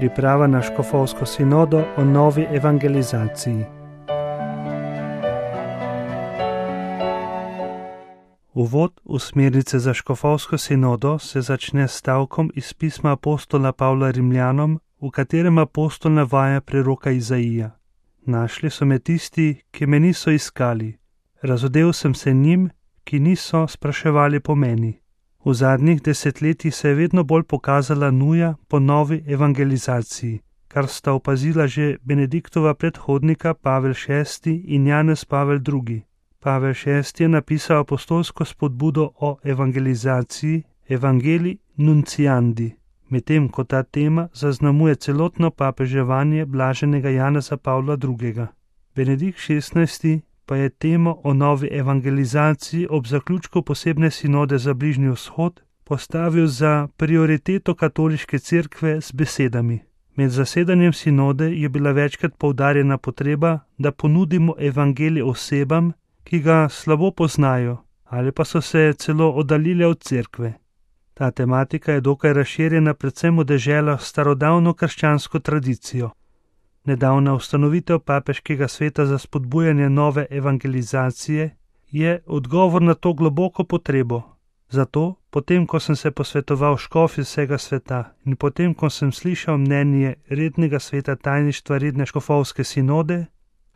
Priprava na škofovsko sinodo o novi evangelizaciji. Uvod v smernice za škofovsko sinodo se začne s stavkom iz pisma apostola Pavla Rimljanom, v katerem apostol navaja preroka Izaija. Našli so me tisti, ki me niso iskali. Razodel sem se njim, ki niso spraševali po meni. V zadnjih desetletjih se je vedno bolj pokazala nuja po novi evangelizaciji, kar sta opazila že Benediktova predhodnika Pavel VI in Janez Pavel II. Pavel VI je napisal apostolsko spodbudo o evangelizaciji Evangelii Nunciandi, medtem ko ta tema zaznamuje celotno papeževanje blaženega Janeza Pavla II. Benedikt XVI pa je temo o novi evangelizaciji ob zaključku posebne sinode za Bližnji vzhod postavil za prioriteto katoliške cerkve z besedami. Med zasedanjem sinode je bila večkrat poudarjena potreba, da ponudimo evangelij osebam, ki ga slabo poznajo ali pa so se celo oddaljile od cerkve. Ta tematika je dokaj razširjena predvsem v deželah s starodavno krščansko tradicijo. Nedavna ustanovitev papeškega sveta za spodbujanje nove evangelizacije je odgovor na to globoko potrebo. Zato, potem ko sem se posvetoval škofi vsega sveta in potem ko sem slišal mnenje rednega sveta tajništva redne škofovske sinode,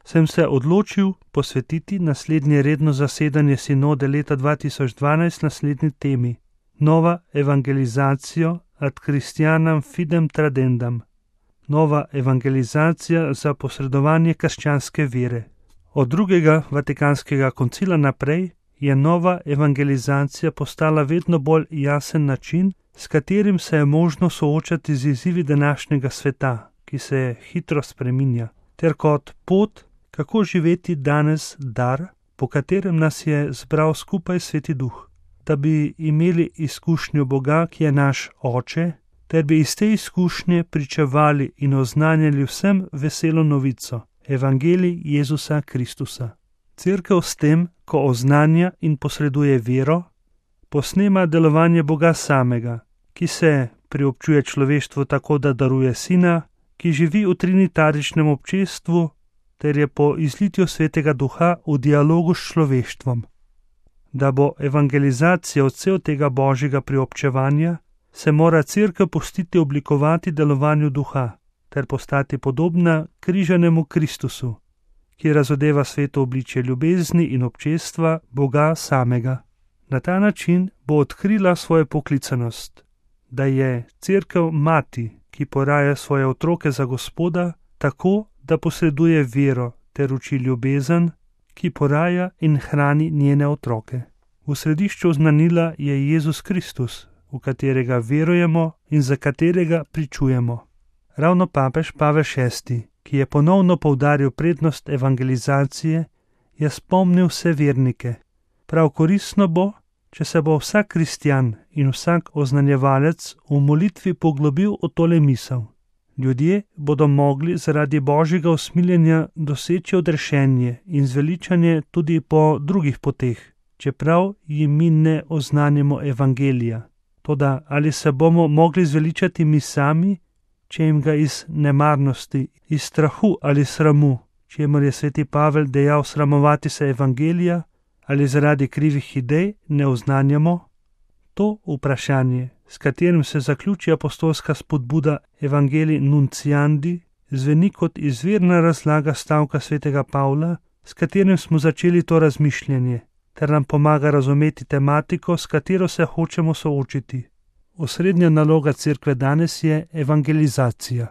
sem se odločil posvetiti naslednje redno zasedanje sinode leta 2012 naslednji temi: Nova evangelizacija ad Christianam fidem tradendam. Nova evangelizacija za posredovanje krščanske vere. Od drugega Vatikanskega koncila naprej je nova evangelizacija postala vedno bolj jasen način, s katerim se je možno soočati z izzivi današnjega sveta, ki se hitro spreminja, ter kot pot, kako živeti danes dar, po katerem nas je zbral skupaj Sveti Duh, da bi imeli izkušnjo Boga, ki je naš Oče, ter bi iz te izkušnje pričevali in oznanjali vsem veselo novico, Evangelij Jezusa Kristusa. Cerkev s tem, ko oznanja in posreduje vero, posnema delovanje Boga samega, ki se priobčuje človeštvu tako, da daruje Sina, ki živi v trinitaričnem občestvu, ter je po izlitju Svetega Duha v dialogu s človeštvom. Da bo evangelizacija odsev tega božjega priobčevanja, se mora cerkev pustiti oblikovati delovanju Duha, ter postati podobna križanemu Kristusu, ki razodeva sveto obličje ljubezni in občestva Boga samega. Na ta način bo odkrila svojo poklicanost, da je cerkev mati, ki poraja svoje otroke za Gospoda, tako, da posreduje vero ter uči ljubezen, ki poraja in hrani njene otroke. V središču znanila je Jezus Kristus, v katerega verujemo in za katerega pričujemo. Ravno papež Pavel VI, ki je ponovno poudaril prednost evangelizacije, je spomnil vse vernike. Prav koristno bo, če se bo vsak kristjan in vsak oznanjevalec v molitvi poglobil v tole misel. Ljudje bodo mogli zaradi božjega usmiljenja doseči odrešenje in zveličanje tudi po drugih poteh, čeprav jim mi ne oznanjamo evangelija. Toda ali se bomo mogli zveličati mi sami, če jim ga iz nemarnosti, iz strahu ali sramu, čemur je sveti Pavel dejal sramovati se evangelija, ali zaradi krivih idej ne oznanjamo? To vprašanje, s katerim se zaključi apostolska spodbuda Evangelii Nunciandi, zveni kot izvirna razlaga stavka svetega Pavla, s katerim smo začeli to razmišljanje, ter nam pomaga razumeti tematiko, s katero se hočemo soočiti. Osrednja naloga cerkve danes je evangelizacija.